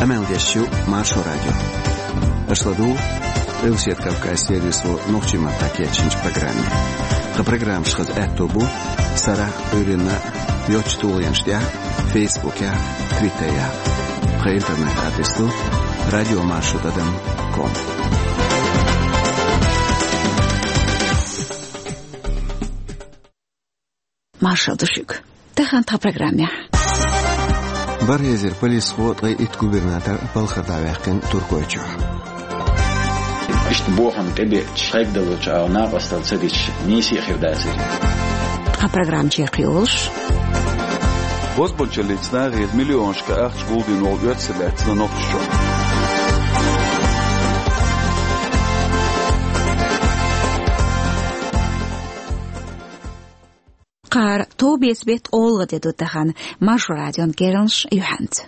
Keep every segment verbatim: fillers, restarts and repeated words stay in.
Къамел деш ю Маршо радио. Аша ладугӀу Къилбаседа Кавказан сервисо нохчийн маттахь кечйинчу программе. Тхан программаш хаза аьтто бу сарахь, Ӏуьйранна йоцчу тулгӀенаш тӀехь, Фейсбукехь, Твиттерехь. Тхан интернет-адрес ду радио маршо тӀадам ком. Маршалла ду шуьга. Тахана тхан программехь. БархӀ эзар полисхо, ткъе итт губернатор балхара дӀаваьккхина Туркойчохь. Иштта бохам тӀебеача, кхайкхадалучу ала накъосталла ца дича, нийса а хир дацара. Тхан программа чекхйолуш. Бозбуунчаллица нахера миллионашка ахча гулдина волу оьрсий лаьцна Нохчийчохь. Кхара товбеца беттан олгӀа де ду тахана, Маршо радион керланаш юьхьанца.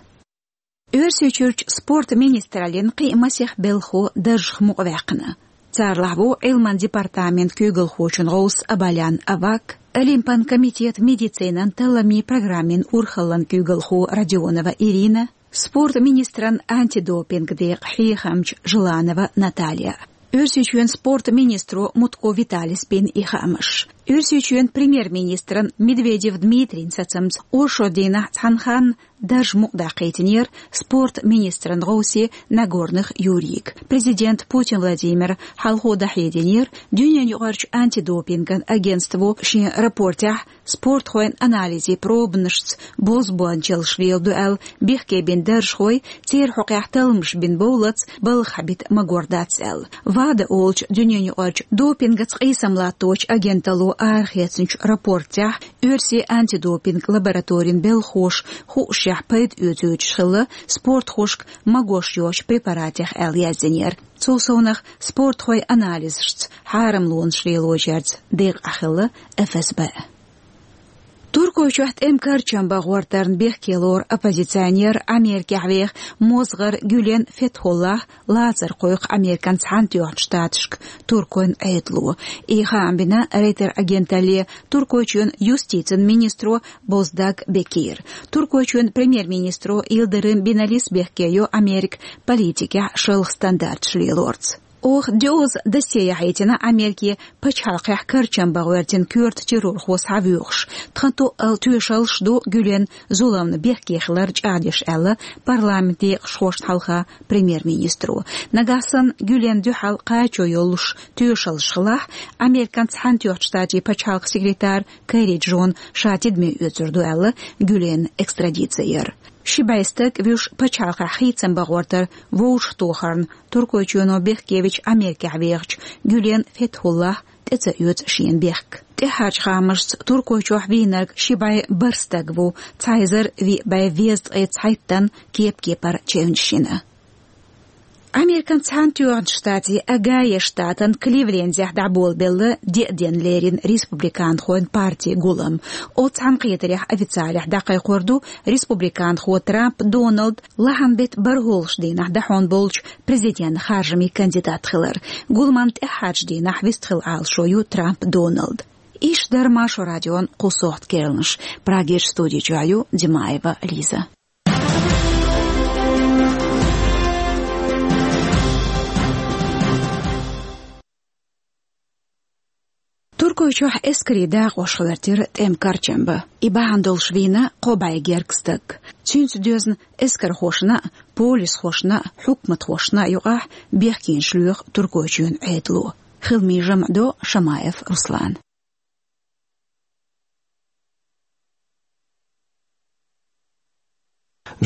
Оьрсийчуьрчу спорт министраллин кхин а масех белхахо даржах мукъаваьккхина. Царалахь ву Ӏилман департаментан куьйгалхочун гӀовс Абалян Аваг, Олимпан комитетан медицинан талламийн программин урхаллан куьйгалхо Родионова Ирина, спорт министран антидопинг декъан хьехамча Желанова Наталья. Оьрсийчоьнан спорт министро Мутко Виталис бина и хаамаш. Оьрсийчоьнан премьер-министран Медведев Дмитрийн сацамца, оршот дийнахь цхьана ханна дарж мукъадаккхийтинера спорт министран гӀовсе Нагорных Юрийга. Президент Путин Владимира хьалхо дӀахьединера Дуьненаюкъарчу антидопинган агентство шен рапортехь спортхойн анализийн пробанашца бозбуунчаллаш леладо аьлла бехке бина даржхой, церан хьокъехь талламаш бина бовлац, балха хьабита магор дац аьлла. ВАДА олучу Дуьненаюкъарчу допингаца къийсам латточу агенталло арахецначу рапортехь оьрсийн антидопинг лабораторин белхахоша хуушшехь пайда оьцуьйтуш хилла спортхошка магош йоцчу препаратех аьлла яздинера. Цул совнах спортхойн анализашца хьарамлонаш лелочаьрца декъахь хилла ФСБ. Туркойчохь тӀеман карчам бан гӀортарна бехке лору оппозиционер, Америкехь веха мозгӀар Гюлен Фетхуллах лацар кхойкху Американ Цхьаьнатоьхначу Штаташка туркойн Ӏедало. И хаам бина Рейтер агенталле Туркойчоьнан юстицин министро Боздаг Бекира. Туркойчоьнан премьер-министро Йылдырым Биналис бехке йо Америка политикехь шалха стандарташ лелорца. Оха доьазза досье яхьийтина Америкин пачхьалкхехь карчам бан гӀоьртина коьрта террорхо схьавоьхуш, тхан тоъал тоьшаллаш ду Гюлен зуламна бехке хилар чӀагӀдеш аьлла парламентан декъашхошна хьалха премьер-министро. Нагахь санна Гюлен дуьхьал кхачо йолуш тоьшаллаш хилахь, Американ Цхьаьнатоьхначу Штатийн пачхьалкхан секретарь Керри Джона ша тидаме оьцур ду аьлла Гюленна экстрадици яр. Ши бӀе стаг вуьш пачхьалкхехь хийцам бан гӀортар вовшахтохарна Туркойчоьно бехкевича Америкехь вехачу Гюлен Фетхуллах тӀе ца оьцу шена бехк. ТӀаьхьарчу хаамашца Туркойчохь вийнарг ши бӀе бархӀ стаг ву, цхьа эзар виъ бӀе везткъе цхьайттанна кеп-кепара чевнаш йина. Американ Цхьаьнатоьхначу Штатийн Огайо штатан Кливлендехь дӀаболабелла деа денна лерина республиканхойн партин гулам. Оцу цхьаьнакхетарехь официалехь дӀакхайкхор ду республиканхо Трамп Доналд лахьан беттан бархӀолгӀачу дийнахь дахьон болчу президентан харжамийн кандидат хилар. Гуламан тӀаьххьарчу дийнахь вистхила Ӏалашо ю Трамп Доналда. Иш дара Маршо радион кху сохьта керланаш. Прагерчу студи чохь ю Димаева Лиза. Туркойчохь эскарийн дакъош гӀоьртира тӀеман карчам бан. И бахьана долуш вийна кхо бӀе гергга стаг. Цуьнца доьзна эскархошна а, полисхошна а, хьукматхошна а юкъахь бехкенаш лоьху Туркойчоьнан Ӏедало. Хиламийн жамӀ до Шамаев Руслана.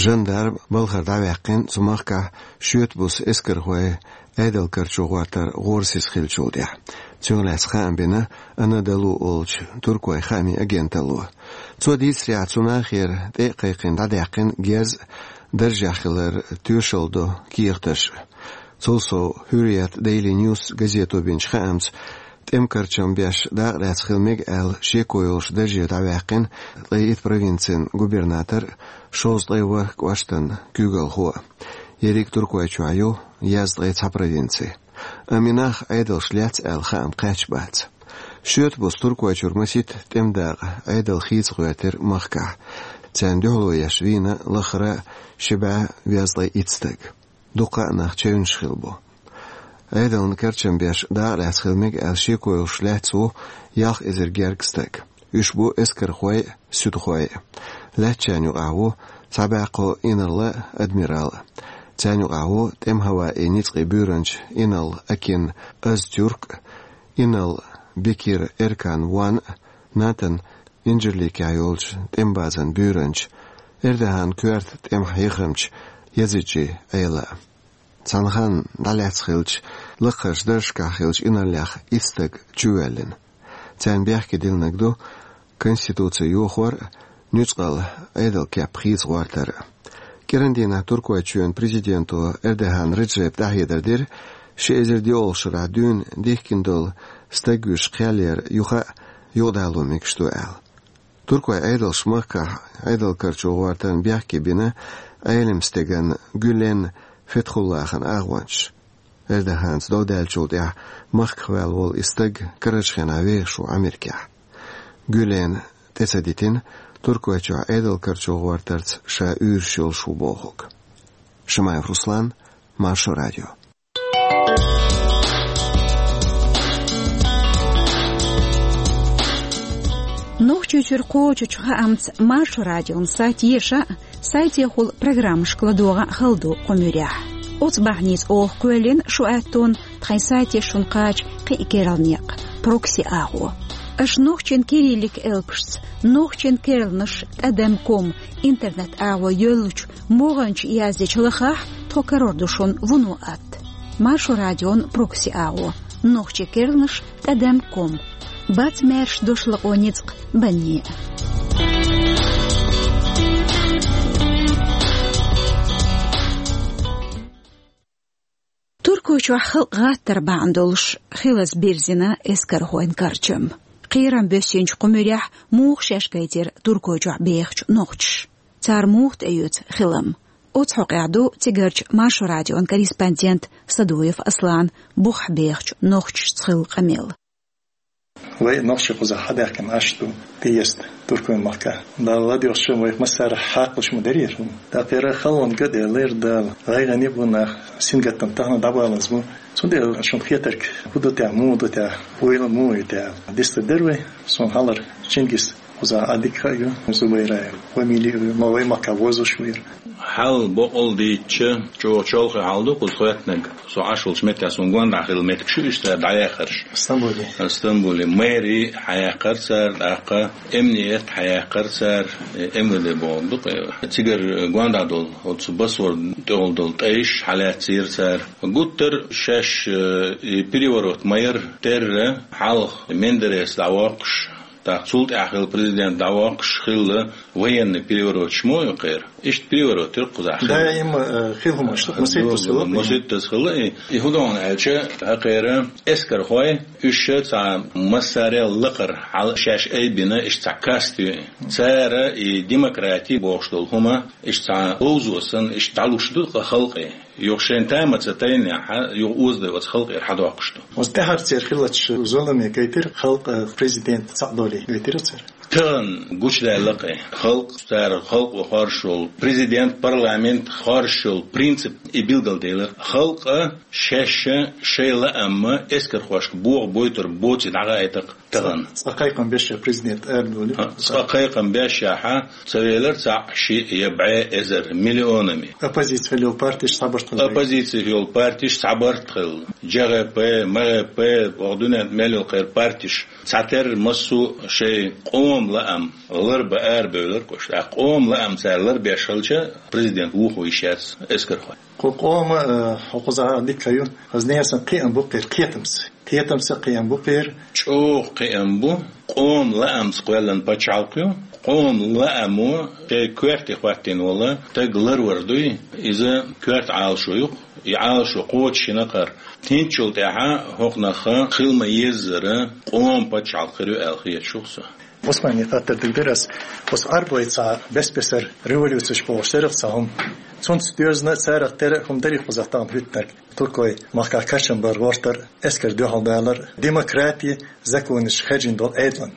Жандарм балхара дӀаваьккхина цу махкахь шоьтан буса эскархой Ӏедалан карчо гӀортар гӀорасиз хиллачул тӀаьхьа. Цунах лаьцна хаам бина Анадолу олучу туркойн хаамийн агенталло. Цо дийцарехь, цу нахера тӀе а кхайкхина дӀадаьккхина герз а, даржехь хилар тоьшалла до кехаташ а. Цул сов, Хьуррият Дейли Ньюс газето бинчу хаамца, тӀеман карчам беш дакъа лаьцна хила мега аьлла шеко йолуш дарже дӀаваьккхина ткъе итт провинцин губернатор а, шовзткъе ворхӀ кӀоштан куьйгалхо а. Ерриг Туркойчохь ю язткъе цхьа провинци. Амма и нах Ӏедалш лаьцна аьлла хаам кхаьчна бац. Шоьтан буса Туркойчуьра масийтта тӀеман дакъа Ӏедал хийца гӀоьртира махкахь. Царна дуьхьало еш вийна лахара ши бӀаь везткъе итт стаг. Дуккха а нах чевнаш хилла бу. Ӏедална карчам беш дакъа лаьцна хила мега аьлла шеко йолуш лаьцна ву ялх эзар гергга стаг. Уьш бу эскархой а, суьдхой а. Лаьцначарна юкъахь ву цхьа бӀе кхо инарла а, адмирал а. Царна юкъахь ву тӀеман хӀаваийн ницкъийн буьйранча инарла Акин Азтюрк а, инарла Бекир Эркан Ван а, НАТО-н Инжирликехь йолчу тӀеман базан буьйранча, Эрдоган коьрта тӀеман хьехамча Язиджи Ӏела а. Цхьана ханна дӀалаьцна хиллачу лакхарчу даржашкахь хиллачу инарлех итт стаг чувоьллина. Царна бехке диллинарг ду конституци йохор а, нуьцкъала Ӏедалан кеп хийца гӀортар а. КӀиран дийнахь Туркойчоьнан президенто Эрдоган Реджепа дӀахьедар дира, ши эзар диъолгӀачу шарахь дуьйна дихкина долу стаг вуьйш кхел яр юха а юкъадало мегаш ду аьлла. Туркойн Ӏедалша махкахь Ӏедалан карчо гӀортарна бехке бина Ӏелам стеган Гюлен Фетхуллахьан агӀончаш. Эрдоганца дов даьллачул тӀаьхьа махках ваьлла волу и стаг карарчу хенахь вехаш ву Америкехь. Гюлена тӀе ца дитина, Туркойчохь Ӏедалан карчо гӀортарца ша уьйраш йолуш ву бохург. Шамаев Руслан, Маршо радио. Нохчийчуьра кхочучу хаамца Маршо радион сайт еша а, сайтехула программашка ладогӀа а хала ду кху муьрехь. Оцу бахьаница оха кхоьллина шу аьттонна тхайн сайте шуна кхача кхин а керла некъ, прокси агӀо. Аша нохчийн кириллик элпашца, нохчийн керланаш тӀадам ком интернет-агӀо йоьллучу могӀанчу яздечу лахахь, тхо карор ду шуна вуно атта. Маршо радион прокси агӀо, нохчийн керланаш тӀадам ком. Бац маьрша дош лакъо ницкъ банне а. Туркойчохь халкъ гӀаттар бахьана долуш хилаза бирзина эскархойн карчам. Кхерам боьссинчу кху муьрехь муха шаьш гайтира Туркойчохь бехачу нохчаша? Цара муха тӀеоьцу хилам? Оцу хьокъехь ду цигарчу Маршо радион корреспондент Садуев Аслан бухахь бехачу нохчашца хилла къамел. Вай нохчий кхузахь хьадаьхкина Ӏаш ду, тӀеэцна туркойн махка. Дала ладоьгӀча вайх массара хьакхалуш ма дарий хӀума. Даккхира халонга делира Дала. ГӀайгӀане бу нах, сингаттам тахана дӀабаланза бу. Цундела шуна хетарг хӀун ду те, муха ду те, ойла муха ю те? Дистар дара вай, суна хьалар Чингис кхузахь а дика ю, Зубайраев, фамилия ю, ма вай махка возуш вира. Хьал бокъал дийцча, чӀогӀа чолхе хьал ду кхуза хоьттинарг. Со Ӏаш волчу меттехь суна гондахь хилла меттигаш ю иштта дӀаяхарш. Стамбуле. Стамбуле. Мэри хьаяьккхар цара, тӀаккха эмният хьаяьккхар цара, э, М В Д бохург ду-кх. Цигара гондахь долу, оцу басор тӀехула долу тӀайш хьалаьццийра цара. Гуттар шаьш, э, и переворот ма яра, терра хьалха Мендерес дӀавоккхуш, тӀаккха цул тӀаьхьа хилла президент дӀавоккхуш хилла военный перевороташ мо ю кхера. Иштта переворот ю кхузахь хилла. Даим, э, хила хӀумаш ду, масийттаза хилла. Масийттаза хилла. И, и хӀун ду аьлча, хӀокхеран эскархой, уьш цхьа массарел лакхара хьала шаьш айбина, иштта цхьа каста ю. Цара и демократи бохуш долу хӀума, иштта цхьа говзо санна, иштта дӀалуш ду халкъе. Юха шайн тама ца тайнехь, юха озадай оцу халкъера хьадоккхуш ду. Оцу тӀаьхьарцера хиллачу зуламе гайтира халкъ, президент цхьаъ долий гайтира цара. Тахана гучудаьлла-кх и. Халкъ, цара халкъо хоржуш йолу, президент, парламент хоржуш йолу принцип и билгалделира. Халкъа шаьш шайн лаамма эскархошка боху бойтур боций дӀагӀайтакх. Тахана. Цкъа кхайкхам беш я президент арадолий. Цкъа кхайкхам беш яхьа, ца велар цхьаъ, шиъ я бӀе эзар миллионами. Оппозици йолу партиш схьабарт хилла. Оппозици йолу партиш схьабарт хилла. Ж Г П, М Г П, оха дуьнен мел йолу кхеран партиш. Цхьатерра массо а шайн къоман лаам ларба арабевлар кхуш. ТӀаккха къоман лаам цара ларбеш хилча, президент вухо йиш яц эскархой. Кху къома, э, хӀокхузахь дика ю. Хаза несан кхиам бу кхера кхетамца. Кхетамца кхиам бу кхера. ЧӀогӀа кхиам бу. Къоман лаамца кхоьллина пачхьалкх ю. Къоман лаамо шайн коьрте хӀоттийна волу стаг ларвар дуй. Иза коьрта Ӏалашо ю-кх. И Ӏалашо кхочушйина кхара. ХӀинцачул тӀаьхьа хӀокхунах хила ма-еззара къоман пачхьалкх хир ю аьлла хеташ ву-кх со. Османе хаттар дигдерас, ос Ӏарбойца бес-бесар революцеш болуш дерах ца хӀума. Цунца доьзна царах тера хӀума дарий кхузахь тахана хӀуьттинарг. Туркой махкахь кхачам бар гӀортар, эскар дуьхьал далар, демократи, законаш хержина долу Ӏедалан.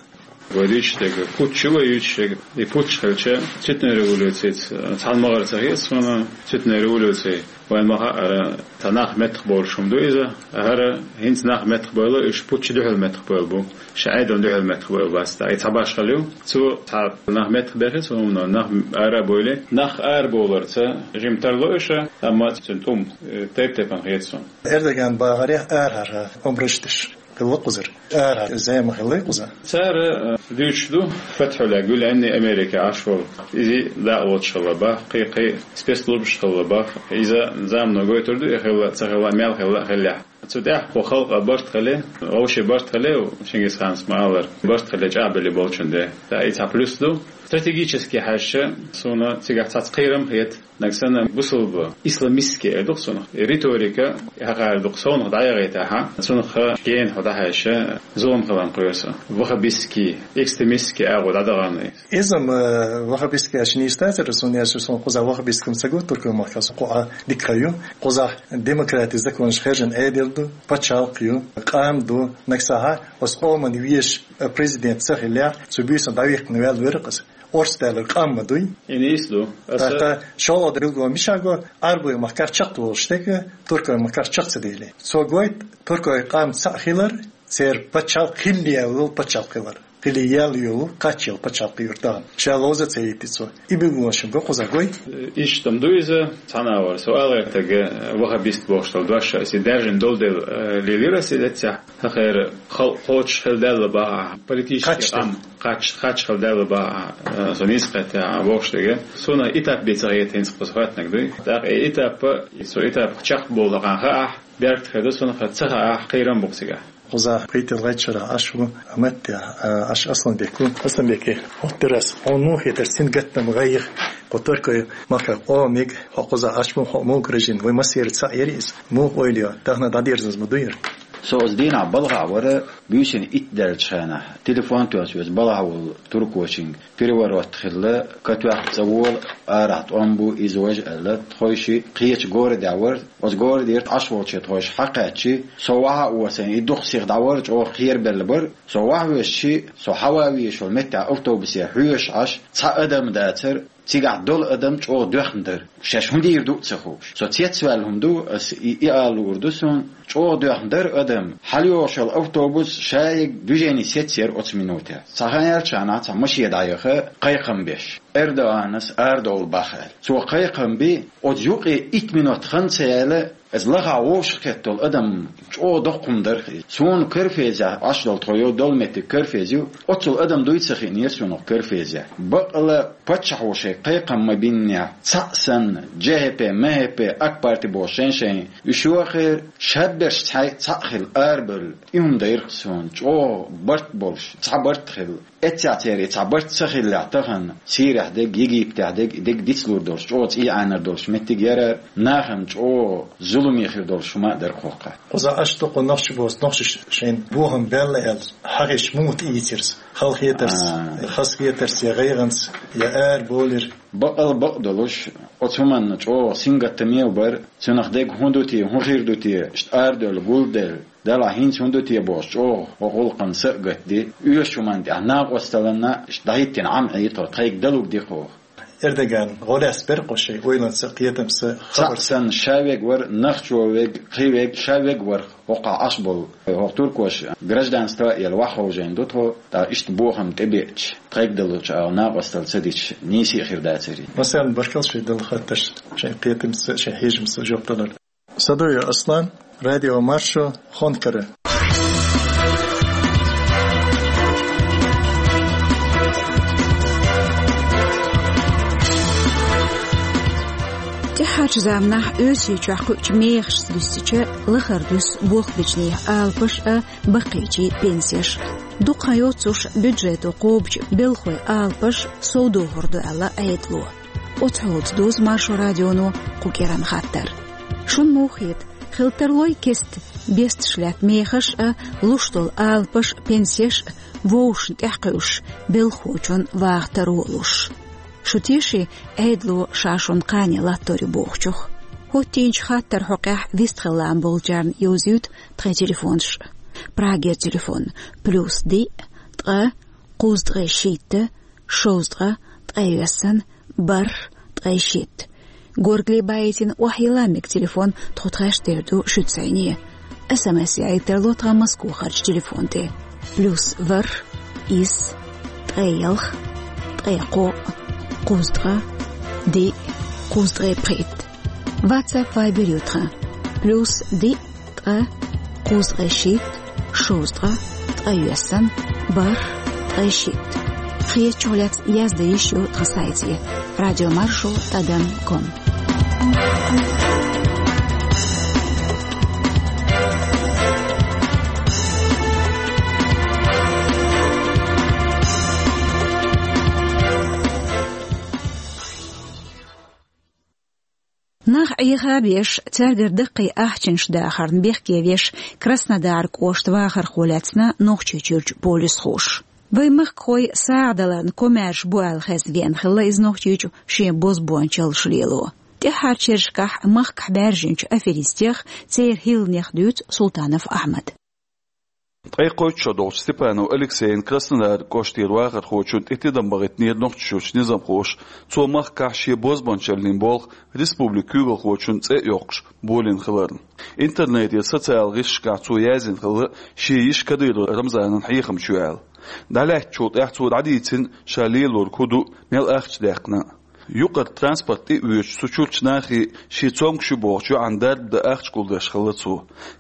Вай дуьйцуш дерг путч ю, вай дуьйцуш дерг, и путч хилча, цветной революцица цхьана магӀар ца хета суна, цветной революция. Вайн ма-хаъара, цхьа нах меттахбовлуш хӀума ду иза, хӀара хӀинца нах меттахбевлла, уьш путча дуьхьал меттахбевлла бу, ша Ӏедална дуьхьал меттахбевлла бац, и цхьа башхалла ю. Цо цхьа нах меттахбехи цу хӀумано, нах ара а бовлий, нах арабовларца жима тарло уьш, амма цуьнан тӀум, э, тайп-тайпана хета суна. Эрдоган бахарехь, арахьара омраш деш хилла кхузара. Арахьа зама хилла кхуза. Цара, э, дуьйцуш ду, Фатхьулла Гюлен Америка Ӏаш волу. Иза дакъа лоцуш хилла бах, кхин-кхин спецслужбаш хилла бах. Иза замано гойтур ду, и хилла, ца хилла, мел хилла а хиллехь. Цу тӀехь кху халкъа барт хилла, вовшийн барт хилла, Чингисханас ма-аллара, барт хилла чӀагӀбелла болчун де. ТӀаккха и цхьа плюс ду. Стратегически хьаьжча, суна цигахь цхьацца кхерам хета. Нагахь санна бусулба, исламистский эр ду-кх цунах. И риторика, и хьакъара ду-кх совнах дӀаяхийтахьа, цунах гена хьо дӀахьаьжча, зулам хиларна кхоьру со. Ваххабистский, экстремистский агӀо дӀадахана. Иза-м, э, ваххабистский аьлча нийса дацара, суна аьлча, суна кхузахь ваххабистский ца го, Туркойн махкахь со кху а дика ю. Кхузахь демократи, законаш хержина Ӏедал ду, пачхьалкх ю, къам ду, нагахь санна оцу къоман везаш, э, президент ца хиллехь, цу буьйсанна дӀавихкина ваьлла вара-кх иза. Орца даьлларг къам ма дуй. И нийса ду. Аса тӀаккха шолгӀа билгало мичахь го, Ӏарбойн махкахь чекхдолуш дерг, Туркойн махкахь чекх ца делий. Цо гойту, туркойн къам цхьаъ хилар, церан пачхьалкх хилла яьлла йолу пачхьалкх хилар. Хилла яьлла йолу, кхаччалла пачхьалкх юьртахь. Ша ловза ца йитти цо. И билгалонаш-м го кхузахь, гой? Иштта-м ду иза, цхьана а вара. Со ала гӀертарг, э, ваххабист бохуш долу дош аса даьржина долу дела, э, лелира аса и эццехь. ХӀокхеран халкъ кхочуш хила даьлла бах ахь, политически кхаччалц къам, кхач-, кхаччалц хила даьлла бах ахь, э, со нийса кхетта ахь бохуш дерг. Суна этап бен ца хета хӀинца кхуза хаттаниг дуй. ТӀаккха и этап, и со этап чекхбовлу хьан хаахь, беркат хир ду, суна ца хаахь, кхерам бу-кх цигахь. Кхузахь пхийтта-ялхийтта шарахь Ӏаш ву Маттехь, а, Ӏаш Асланбек ву. Асланбеке, хӀоттарас, хьуна муха хетара сингаттам, гӀайгӀа кху Туркойн махкахь къомиг, хьо кхузахь Ӏаш ву, хьо муха гражданин, вай массеран цхьаъ яра иза? Муха ойла йо, тахана дӀадерзаза ма дуй яра? Со оцу дийнахь балхахь вара, буьйсанна итт даьллачу хенахь, телефон тоьсна веза балхахь волу туркочуьнга. Переворот хилла, катоьхна цӀа вола, арахь тӀом бу, иза важа аьлла, тхойшиъ кхечу городехь вара, оцу городера Ӏаш волчу тхойша хьакхаьччи, со вахьа а воций, и дукха сиха дӀавара, чӀогӀа кхерабелла бара. Со вахьа воьссичи, со хьаван везаш волу меттехь автобусе хьоьжуш Ӏаш, цхьа адам дацара, цигахь долу адам чӀогӀа доьхна дара. Шаьш хӀун дийр ду а ца хууш. Со цецваьлла хӀума ду, ас и, и ала луур ду суна, чӀогӀа доьхна дара адам. ХьалайогӀуш йолу автобус шайга движение сецна яра оцу минутехь. Цхьа хан яьлча хьанахь цхьа машен дӀаяха, кхайкхам беш. Эрдоганас арадовла бах аьлла. Цо кхайкхам би, оцу юкъе итт минот хан ца яьлла, иза лахахь вовшахкхетта долу адам чӀогӀа доккха хӀума дара-кх иза. Суна Карфезехь, Ӏаш долу тхо йолу долу меттиг Карфез ю, оццул адам дуй ца хиънера суна Карфезехь. Бакъала паччахьо шайн кхайкхам ма биннехь, цхьаъ санна, Ж Х П, М Х П, Ак парти бохуш шайн-шайн, уьш йохера, шаберш цхьаъ, цхьаъ хилла арабевлла, и хӀума дайра-кх суна, чӀогӀа барт болуш, цхьа барт хилла. Эццехь церан и цхьа барт ца хиллехь тахана, Сирехь дерг, Египетехь дерг, и дерг дицлур долуш, чӀогӀа цӀий Ӏанар долуш меттиг яра, нахана чӀогӀа зуламе хир долуш хӀума а дара-кх хӀокху. Кхузахь Ӏаш ду-кх нохчий боху, нохчаша шайна бохам баьлла аьлла, хьагӀ еш муха тӀеийцира иза? Хала хетарца, а, хаза хетарца, я гӀайгӀанца, я арабовлира? Бакъал бакъ долуш, оцу хӀуманна чӀогӀа сингаттаме а бара, цунах дерг хӀун ду те, хӀун хир ду те, иштта арадевлла, гулделла, делахь хӀинца хӀун ду те бохуш, чӀогӀа хӀокху гӀуллакхана са а гатди, оьшучу хӀуманна тӀехь накъосталлина иштта дӀахӀиттина Ӏам Ӏийта тхо, тхайга далург ди-кх хӀокху. Эрдоган гӀо лаьцна бара-кх шайн ойланца, кхетамца, цхьаъ хабарца. Санна ша вега вара, нохчо вега, кхин вега, ша вега вара хӀокхахь Ӏаш болу. ХӀокху туркоша гражданство а елла вахховжийна ду тхо, тӀаккха иштта бохам тӀебеача, тхайга далучу агӀор накъосталла ца дича, нийса а хир дацара. Масална, баркалла шайн делла хаттаршна, шайн кхетамца, шайн хьежамца жоп далар. Садоев Аслан, Радио Маршо, Хонкара. ТӀаьхьарчу заманахь Оьрсийчохь кхуьучу мехашца дуьссича, лахара дуьсу болх бечу нехан алапаш а, баккхийчийн пенсеш. Дукха хан йоццуш бюджето кхобучу белхалойн алапаш совдохур ду аьлла Ӏедало. Оцу хьолца доьзна Маршо радионо кху кӀиранан хаттар. Шуна муха хета, Хила тарлой кеста бесташ лаьтта мехаш а, луш долу алапаш а, пенсеш а вовшашна тӀехь кхуьуш, белхахочун ваха таро луш. Шу теший Ӏедало ша шуна кхане латтор ю бохучух? ХӀоттийначу хаттарна хьокъехь вистхила лаам болчарна йовзуьйту тхайн телефонаш. Прагера телефон: плюс диъ, ткъа, кхузткъе шийтта, шовзткъа, ткъе йоьсна, бархӀ, ткъе шийтта. Горгали баийтина охьайилла мега телефон тхо тхаьш тера ду шуьца сайне. СМС яийта тарло тхан Москвахарчу телефон тӀе: плюс ворхӀ, исс, ткъе ялх, ткъе кхоъ, кхузткъа, диъ, кхузткъе пхийтта. WhatsApp, Viber ю тхан: плюс диъ, ткъа, кхузткъе шийтта, шовзткъа, ткъе йоьсна, бархӀ, ткъе шийтта. Хетачух лаьцна яздан йиш ю тхан сайте: радиомаршо тӀадам ком. Нах Ӏеха а беш, цаьргара даккхий ахчанаш дахарна бехке веш, Краснодар кӀоштан вахархо лаьцна Нохчийчуьрчу полисхоша. Вайн махкахой сагӀа даларна комаьрша бу аьлла хезна веана хилла иза Нохчийчу шен бозбуунчаллаш лело. ТӀаьххьарчу шерашкахь махкахь баьржинчу аферистех, церан хӀилланех дуьйцу Султанов Ахьмада. Ткъе кхойтта шо долчу Степанов Алексейн, Краснодар кӀоштера вахархочун тӀе тидам бахийтинера Нохчийчуьрчу низамхоша. Цо махкахь шен бозбуунчаллин болх республикан куьйгалхочун цӀе а йоккхуш болийна хиларна. Интернетера социал гӀирсашкахь цо яздина хилла шен йиша Кадыров Рамзанан хьехамча ю аьлла. ДӀалаьцначул тӀаьхьа цо дӀадийцина ша лелориг хӀун ду, мел ахча даьккхина. Юкъара транспорт тӀе а воьдуш, цу чуьрчу нахе шен цомгуш ю бохучу йоӀана дарба дан ахча гулдеш хилла цо.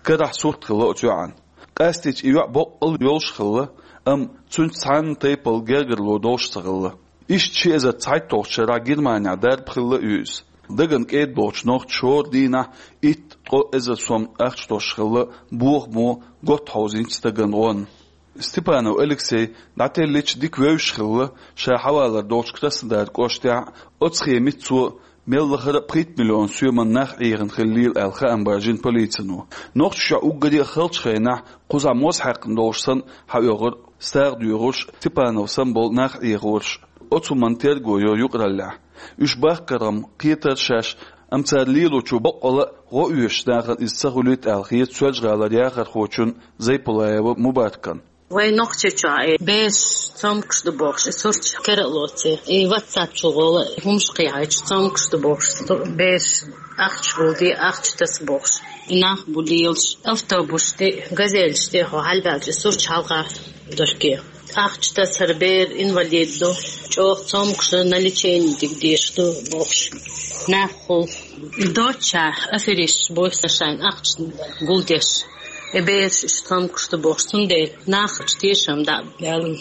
Карахь сурт хилла оцу йоӀан. Къаьстича и йоӀ боккъал йолуш хилла, амма цуьнца цхьана тайпана гергарло долуш ца хилла. Иштта ши эзар цхьайтталгӀачу шарахь Германехь дарба хилла а ю иза. Дагана кӀеда болчу нохчаша хӀора дийнахь итт-ткъо эзар сом ахча тосуш хилла, бохамо готта хьовзийначу стагана гӀонна. Степанов Алексей дӀателлича дика вевзаш хилла, ша хьавалар долчу Краснодар кӀоштехь а, оцу хенахь цо мел лахара а пхийтта миллион соьман нах Ӏехийна хиллера аьлла хаам баржийна полицино. Нохчийчохь уггаре а халчу хенахь кхузахь моза хьаькхна долуш санна хьаоьхура сагӀа доьхурш, Степанов санна болу нах Ӏехорш. Оцу хӀуманна терго йо юкъараллехь. Уьш баккхархьама кхетара шаьш, амма цара лелочо боккъал а гӀо оьшучу нахана иза ца хуьлуьйту аьлла хета Соьлжа-ГӀалара яхархочун Зайпулаева Мубаракан. Вайн Нохчийчохь и бераш цомгуш ду бохуш, и сурташ кара а лоций, и WhatsApp чу гӀола хӀумаш кхехьийча цомгуш ду бохуш, бераш ахча гулдий, ахча таса бохуш. И нах бу лелаш, автобусаш тӀе, газелаш тӀе хьо хьалабаьлча, и сурташ хьалха дохке. Ахча тасар, бер инвалид ду, чӀогӀа цомгуш ду, на лечение дика дезаш ду бохуш. Нах хул. И доццушехь аферисташ бу шайна ахча гулдеш. И бераш иштта цомгуш ду бохуш, цундела нахаца тешам дӀа а баьлла.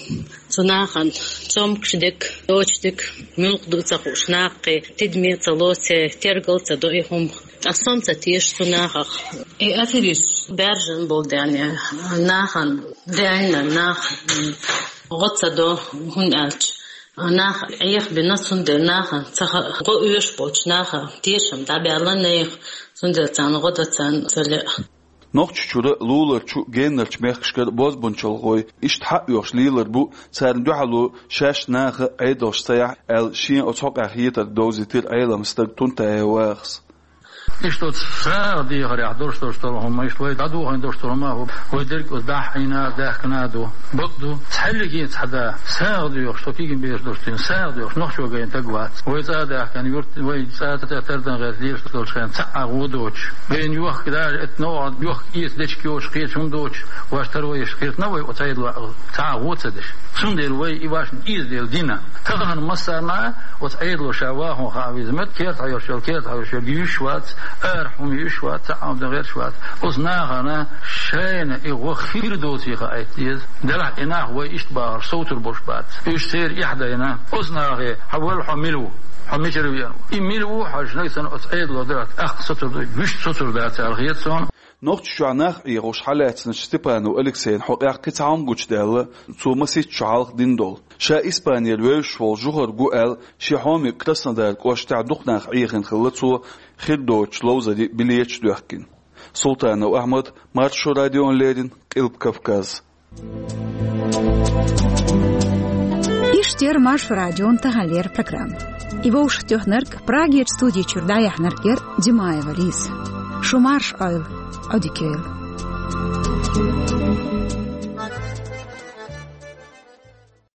Цу нахана цомгуш дика, доцуш дика, муьлха ду ца хууш, нахе тидаме а ца ло, церан тергал а ца до и хӀума. Ткъа сом ца теша цу нахах. И аферисташ баьржина болу даьнна, нахана даьнна, нах гӀо ца до, хӀунда аьлча нах Ӏехабина, цундела нахана ца ха-, гӀо оьшуш болчу наха тешам дӀабаьлла нехан, цундела царна гӀо дан царна ца лаьа. Нохчийчуьра, луларчу, геннарчу мехкашкара бозбунчалхой иштта хьаоьхуш лелар бу, царна дуьхьало шаьш наха Ӏедалш ца яхь аьлла, шен оцу хьокъехь хетарг довзийтира Ӏелам стага Тунтаев Вахас. Иштта оцу сагӀа дехарехь долуш долуш долу хӀума, иштта вай дӀадохийна долуш долу хӀума, вай дерг оцу дахьийна а, даьхкина а ду. Бакъ ду, цхьаьллигий цхьа да сагӀа доьхуш, со кегий бераш долуш дийна, сагӀа доьхуш нохчо гайна таг вац. Вай цӀа а даьхкина, юрт, вай цӀа а тӀе тардан гӀерта лелаш долчу хенахь цхьа а гӀо доцуш. Гайна йохка даже, это новкъа йохка эца дечиг йоцуш, кхечу хӀума доцуш, ваш таро еш кхеташ, вай оцу Ӏедало цхьа а гӀо ца деш. Цундела вай и вашна иза дела дина. Тахана массарна а оцу Ӏедало ша вахана хаа веза мет, керта хьайолуш йолу, керта хьайолуш йолу юьш вац, ара хӀума юьш вац, цхьа а хӀума дан гӀерташ вац. Оцу нахана шайна и гӀо хир доций хаийта деза. Делахь и нах вай иштта бахарш совцур болуш бац. Уьш церан эхь дайна. Оцу нахе, хьан валла хьо мила ву? Хьо мичара веана ву? И мила ву хьажа, нагахь санна оцу Ӏедало дара, тӀаккха соцур ду, вуьшта соцур дац аьлла хета суна. Нохчийчохь нах Ӏехош хьалаьцначу Степанов Алексейна хьокъехь кхин цхьа хӀума гучудаьлла, цо масийтта шо хьалха дина долу. Ша Испанера вевзаш волу жухар гу аьлла, шен хьоме Краснодар кӀоштехь дукха нах Ӏехийна хилла цо, хир доцучу ловзарийн билеташ доьхкина. Султанов Ахьмад, Маршо радиона леррина, Къилба Кавказ. Иштта яра Маршо радион таханлера программа. И вовшахтоьхнарг, Прагерчу студи чуьра дӀаяьхьнарг яра Димаева Лиза. Шу марша Ӏойла, Ӏодика йойла.